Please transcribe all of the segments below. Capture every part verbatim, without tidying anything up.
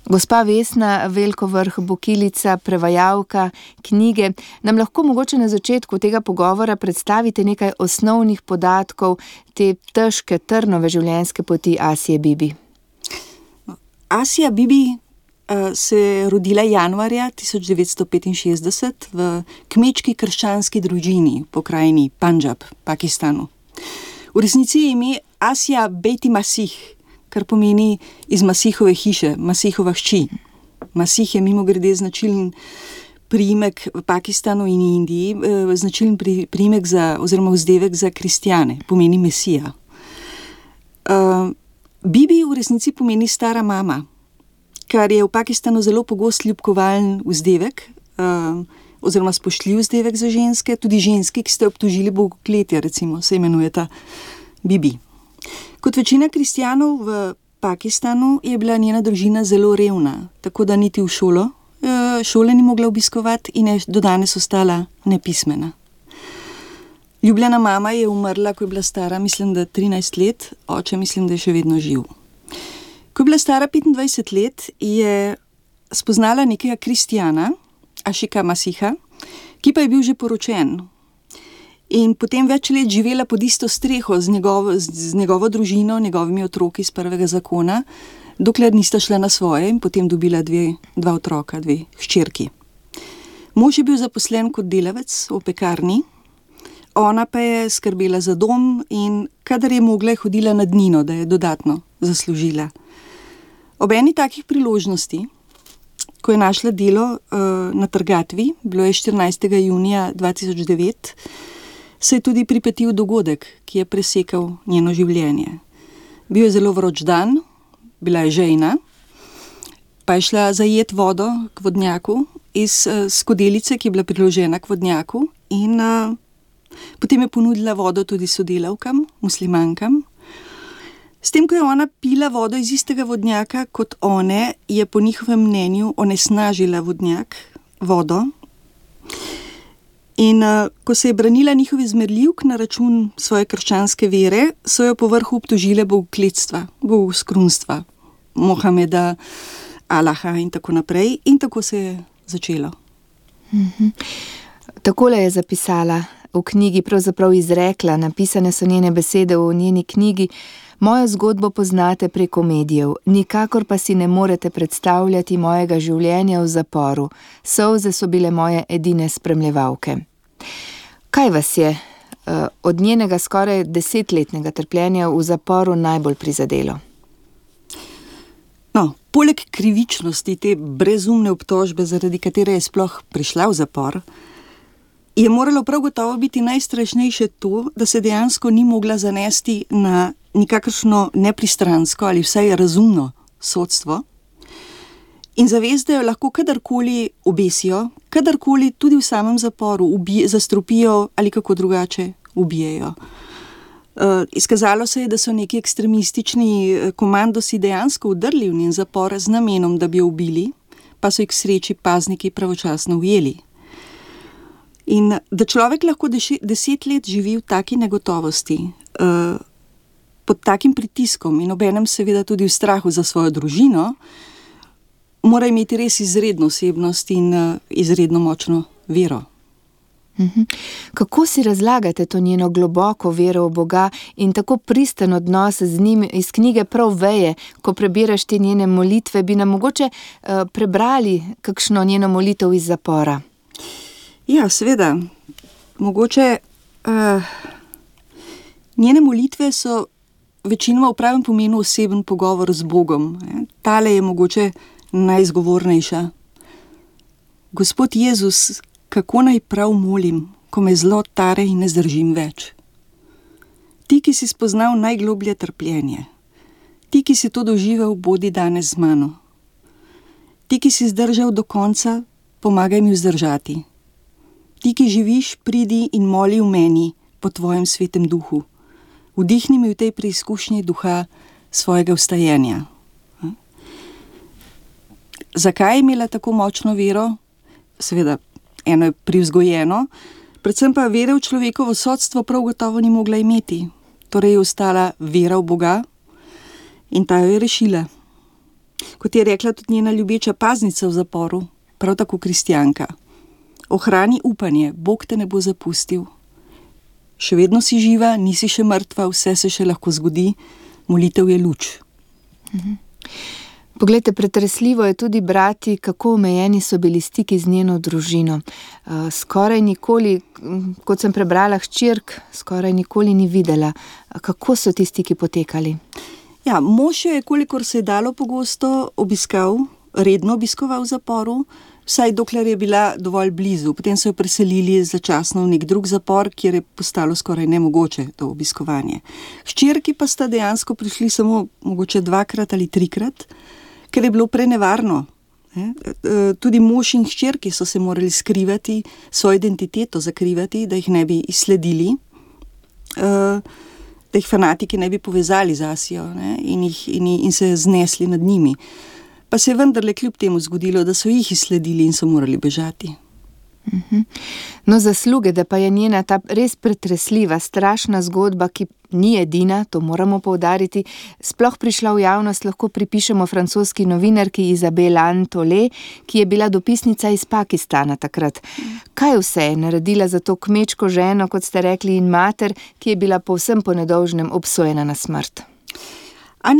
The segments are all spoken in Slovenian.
Gospa Vesna Veljko Vrh Bokilica, prevajalka knjige, nam lahko mogoče na začetku tega pogovora predstavite nekaj osnovnih podatkov te težke, trnove življenjske poti Asije Bibi? Asija Bibi uh, se je rodila januarja tisoč devetsto petinšestdeset v kmečki krščanski družini v pokrajini Pandžab, Pakistanu. V resnici je ime Asija Beti Masih, kar pomeni iz Masihove hiše, Masihova hči. Masih je mimogrede značilen priimek v Pakistanu in Indiji, eh, značilen pri, priimek za, oziroma vzdevek za kristjane, pomeni Mesija. Uh, Bibi v resnici pomeni stara mama, kar je v Pakistanu zelo pogost ljubkovalen vzdevek, uh, oziroma spoštljiv vzdevek za ženske, tudi ženski, ki ste obtožili bogokletja, recimo, se imenujeta Bibi. Kot večina kristjanov v Pakistanu je bila njena družina zelo revna, tako da niti v šolo, šole ni mogla obiskovati in je do danes ostala nepismena. Ljubljena mama je umrla, ko je bila stara, mislim, da trinajst let, oče mislim, da je še vedno živ. Ko je bila stara petindvajset let, je spoznala nekega kristjana, Ašika Masiha, ki pa je bil že poročen. In potem več let živela pod isto streho z njegovo, z njegovo družino, njegovimi otroki iz prvega zakona, dokler nista šla na svoje in potem dobila dve, dva otroka, dve hčerki. Mož je bil zaposlen kot delavec v pekarni, ona pa je skrbela za dom in kadar je mogla, je hodila na dnino, da je dodatno zaslužila. Ob eni takih priložnosti, ko je našla delo uh, na trgatvi, bilo je štirinajstega junija dva tisoč devet, se je tudi pripetil dogodek, ki je presekal njeno življenje. Bil je zelo vroč dan, bila je žejna, pa je šla zajet vodo k vodnjaku iz uh, skodelice, ki je bila priložena k vodnjaku in uh, potem je ponudila vodo tudi sodelavkam, muslimankam. S tem, ko je ona pila vodo iz istega vodnjaka kot one, je po njihovem mnenju onesnažila vodnjak, vodo. In uh, ko se je branila njihovi zmerljivk na račun svoje krščanske vere, so jo po vrhu obtožile bogokletstva, bogoskrunstva, Mohameda, Allaha in tako naprej. In tako se je začelo. Mhm. Takole je zapisala v knjigi, pravzaprav izrekla, napisane so njene besede v njeni knjigi: Mojo zgodbo poznate preko medijev, nikakor pa si ne morete predstavljati mojega življenja v zaporu. Solze so bile moje edine spremljevalke. Kaj vas je uh, od njenega skoraj desetletnega trpljenja v zaporu najbolj prizadelo? No, poleg krivičnosti te brezumne obtožbe, zaradi katere je sploh prišla v zapor, je moralo prav gotovo biti najstrašnejše to, da se dejansko ni mogla zanesti na nikakršno nepristransko ali vsaj razumno sodstvo in zavest, da jo lahko kadarkoli obesijo, kadarkoli tudi v samem zaporu ubije, zastrupijo ali kako drugače ubijejo. Uh, izkazalo se je, da so neki ekstremistični komandosi dejansko vdrli v njen zapor z namenom, da bi jo ubili, pa so jih k sreči pazniki pravočasno ujeli. In da človek lahko deset let živi v taki negotovosti, uh, pod takim pritiskom in obenem seveda tudi v strahu za svojo družino, mora imeti res izredno osebnost in uh, izredno močno vero. Mhm. Kako si razlagate to njeno globoko vero v Boga in tako pristen odnos z njim? Iz knjige prav veje, ko prebiraš te njene molitve, bi nam mogoče uh, prebrali kakšno njeno molitev iz zapora? Ja, seveda. Mogoče uh, njene molitve so večinoma v pravem pomenu oseben pogovor z Bogom. Tale je mogoče najzgovornejša. Gospod Jezus, kako naj prav molim, ko me zlo tare in ne zdržim več? Ti, ki si spoznal najgloblje trpljenje, ti, ki si to doživel, bodi danes z mano. Ti, ki si zdržal do konca, pomagaj mi vzdržati. Ti, ki živiš, pridi in moli v meni po tvojem svetem duhu. Vdihni mi v tej preizkušnji duha svojega vstajenja. Zakaj je imela tako močno vero? Seveda, eno je privzgojeno, predvsem pa vere v človekovo sodstvo prav gotovo ni mogla imeti. Torej je ostala vera v Boga in ta jo je rešila. Kot je rekla tudi njena ljubeča paznica v zaporu, prav tako kristjanka. Ohrani upanje, Bog te ne bo zapustil. Še vedno si živa, nisi še mrtva, vse se še lahko zgodi, molitev je luč. Mhm. Poglejte, pretresljivo je tudi brati, kako omejeni so bili stiki z njeno družino. Skoraj nikoli, kot sem prebrala, hčerk skoraj nikoli ni videla. Kako so ti stiki potekali? Ja, mož jo je, kolikor se je dalo, pogosto obiskal, redno obiskoval v zaporu, vsaj dokler je bila dovolj blizu. Potem so jo preselili začasno v nek drug zapor, kjer je postalo skoraj nemogoče to obiskovanje. Hčerki pa sta dejansko prišli samo mogoče dvakrat ali trikrat, ker je bilo prenevarno. Tudi mož in hčerki so se morali skrivati, svojo identiteto zakrivati, da jih ne bi izsledili, da jih fanatiki ne bi povezali z Asijo, ne, in, jih, in, in se znesli nad njimi. Pa se je vendarle kljub temu zgodilo, da so jih izsledili in so morali bežati. No, zasluge, da pa je njena ta res pretresljiva, strašna zgodba, ki ni edina, to moramo poudariti, sploh prišla v javnost, lahko pripišemo francoski novinarki Isabelle Antolé, ki je bila dopisnica iz Pakistana takrat. Kaj vse je naredila za to kmečko ženo, kot ste rekli, in mater, ki je bila povsem po nedolžnem obsojena na smrt?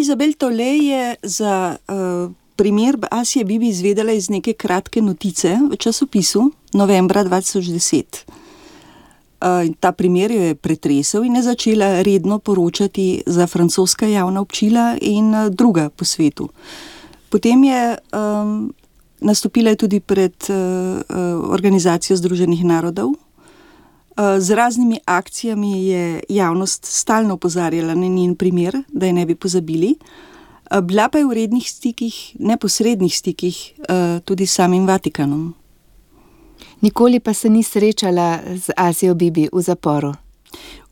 Isabelle Antolé je za uh, primer Asije Bibi izvedela iz neke kratke notice v časopisu novembra dva tisoč deset. Uh, ta primer jo je pretresel in je začela redno poročati za francoska javna občila in uh, druga po svetu. Potem je um, nastopila tudi pred uh, uh, Organizacijo Združenih narodov. Uh, z raznimi akcijami je javnost stalno opozarjala na njen primer, da je ne bi pozabili. Uh, bila pa je v rednih stikih, neposrednih stikih uh, tudi s samim Vatikanom. Nikoli pa se ni srečala z Asijo Bibi v zaporu?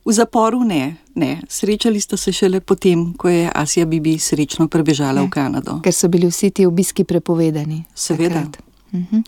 V zaporu ne, ne. Srečali sta se šele potem, ko je Asija Bibi srečno prebežala ne, v Kanado. Ker so bili vsi ti obiski prepovedani. Seveda. Uh-huh.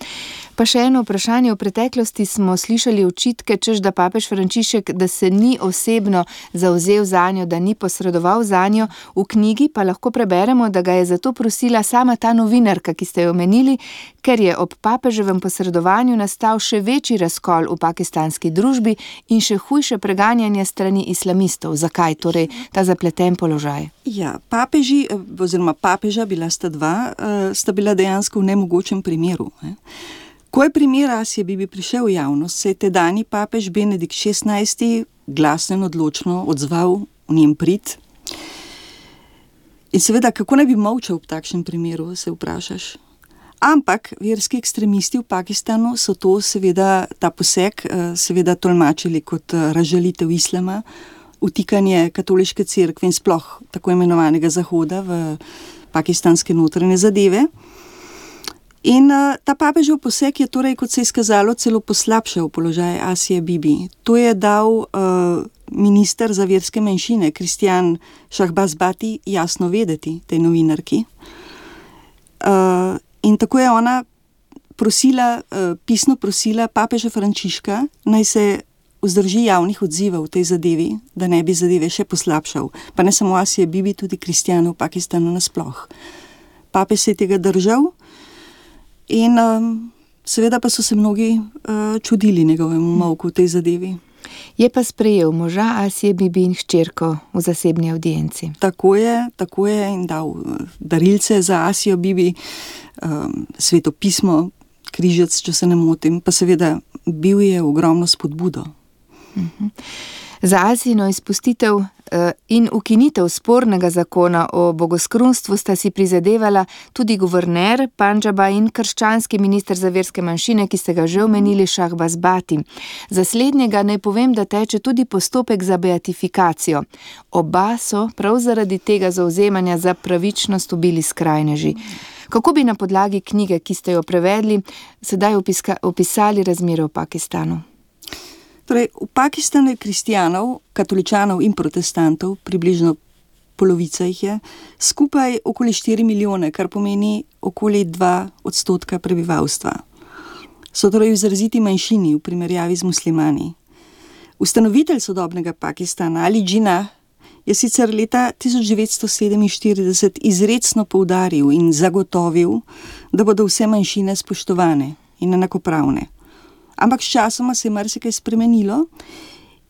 Pa še eno vprašanje. V preteklosti smo slišali očitke, češ da papež Frančišek, da se ni osebno zavzel zanjo, da ni posredoval zanjo. V knjigi pa lahko preberemo, da ga je zato prosila sama ta novinarka, ki ste jo omenili, ker je ob papeževem posredovanju nastal še večji razkol v pakistanski družbi in še hujše preganjanje strani islamistov. Zakaj torej ta zapleten položaj? Ja, papeži, oziroma papeža, bila sta dva, sta bila dejansko v nemogočem primeru. Ko je primer Asije Bibi prišel v javnost, se je tedajni papež Benedikt šestnajsti glasno in odločno odzval v njen prid. In seveda, kako naj bi molčal v takšnem primeru, se vprašaš. Ampak verski ekstremisti v Pakistanu so to seveda, ta poseg seveda tolmačili kot razžalitev islama, vtikanje katoliške cerkve in sploh tako imenovanega Zahoda v pakistanske notranje zadeve. In uh, ta papežev poseg je torej, kot se je izkazalo, celo poslabšal položaj Asije Bibi. To je dal uh, minister za verske manjšine, Kristjan Shahbaz Bhatti, jasno vedeti tej novinarki. Uh, in tako je ona prosila, uh, pisno prosila papeža Frančiška, naj se vzdrži javnih odzivov v tej zadevi, da ne bi zadeve še poslabšal. Pa ne samo Asije Bibi, tudi kristjanov v Pakistanu nasploh. Papež se je tega držal. In um, seveda pa so se mnogi uh, čudili njegovemu molku v tej zadevi. Je pa sprejel moža Asije Bibi in hčerko v zasebni audienci. Tako je, tako je in dal darilce za Asijo Bibi, um, svetopismo, križec, če se ne motim, pa seveda bil je ogromno spodbudo. Uh-huh. Za Asijino izpustitev in ukinitev spornega zakona o bogoskrunstvu sta si prizadevala tudi guverner Pandžaba in krščanski minister za verske manjšine, ki ste ga že omenili, Shahbaz Bhatti. Za slednjega naj povem, da teče tudi postopek za beatifikacijo. Oba so prav zaradi tega zavzemanja za pravičnost ubili skrajneži. Kako bi na podlagi knjige, ki ste jo prevedli, sedaj opiska, opisali razmere v Pakistanu? Torej, v Pakistanu je kristjanov, katoličanov in protestantov, približno polovica jih je, skupaj okoli štiri milijone, kar pomeni okoli dva odstotka prebivalstva. So torej v izraziti manjšini v primerjavi z muslimani. Ustanovitelj sodobnega Pakistana, Ali Džinah, je sicer leta tisoč devetsto sedeminštirideset izrecno poudaril in zagotovil, da bodo vse manjšine spoštovane in enakopravne. Ampak sčasoma se je marsikaj spremenilo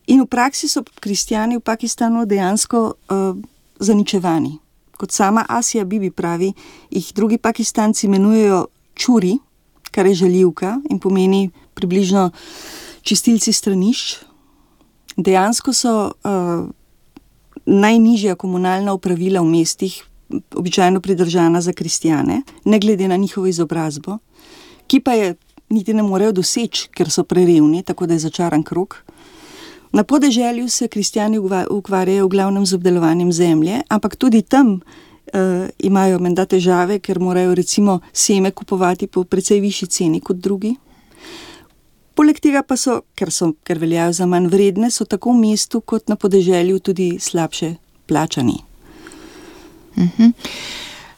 in v praksi so kristjani v Pakistanu dejansko uh, zaničevani. Kot sama Asija Bibi pravi, jih drugi Pakistanci imenujejo čuri, kar je žaljivka in pomeni približno čistilci stranišč. Dejansko so uh, najnižja komunalna opravila v mestih običajno pridržana za kristjane, ne glede na njihovo izobrazbo, ki pa je niti ne morejo doseči, ker so prerevni, tako da je začaran krog. Na podeželju se kristjani ukvarjajo v glavnem z obdelovanjem zemlje, ampak tudi tam uh, imajo menda težave, ker morajo recimo seme kupovati po precej višji ceni kot drugi. Poleg tega pa so, ker so, ker veljajo za manj vredne, so tako v mestu kot na podeželju tudi slabše plačani. Uh-huh.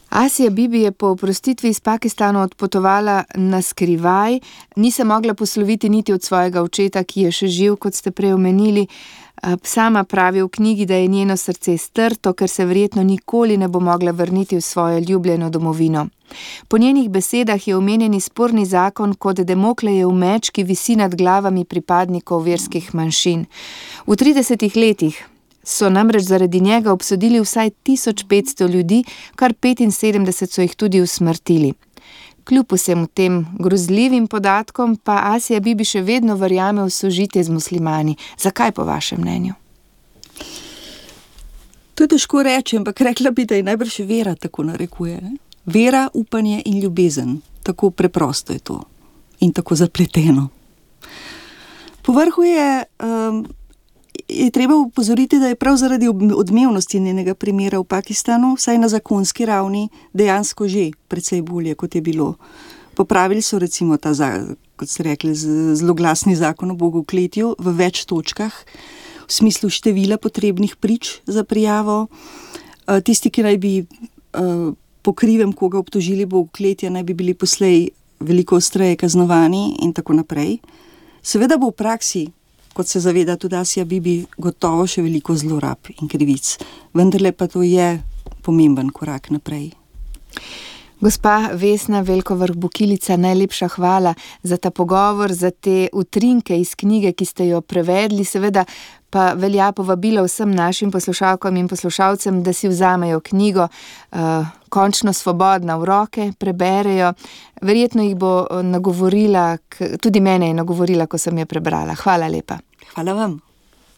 Asija Bibi je po oprostitvi iz Pakistana odpotovala na skrivaj, ni se mogla posloviti niti od svojega očeta, ki je še živ, kot ste prej omenili. Sama pravi v knjigi, da je njeno srce strto, ker se verjetno nikoli ne bo mogla vrniti v svojo ljubljeno domovino. Po njenih besedah je omenjeni sporni zakon kot Damoklejev meč, ki visi nad glavami pripadnikov verskih manjšin. V tridesetih letih so namreč zaradi njega obsodili vsaj tisoč petsto ljudi, kar petinsedemdeset so jih tudi usmrtili. Kljub vsem tem grozljivim podatkom pa Asija Bibi še vedno verjame v sožitje z muslimani. Zakaj po vašem mnenju? To je težko reči, ampak rekla bi, da je najbrž vera tako narekuje. Ne? Vera, upanje in ljubezen. Tako preprosto je to. In tako zapleteno. Povrhu je, um, je treba upozoriti, da je prav zaradi odmevnosti njenega primera v Pakistanu, vsaj na zakonski ravni, dejansko že precej bolje, kot je bilo. Popravili so recimo ta, kot ste rekli, zloglasni zakon o bogokletju v več točkah, v smislu števila potrebnih prič za prijavo. Tisti, ki naj bi po krivem koga obtožili bogokletja, naj bi bili poslej veliko ostreje kaznovani in tako naprej. Seveda bo v praksi, kot se zaveda tudi Asija Bibi, gotovo še veliko zlorab in krivic. Vendarle pa to je pomemben korak naprej. Gospa Vesna Velkovrh-Bukilica, najlepša hvala za ta pogovor, za te utrinke iz knjige, ki ste jo prevedli. Seveda pa velja povabilo vsem našim poslušalkam in poslušalcem, da si vzamejo knjigo uh, končno svobodna v roke, preberejo. Verjetno jih bo nagovorila, tudi mene je nagovorila, ko sem jo prebrala. Hvala lepa. Hvala vam.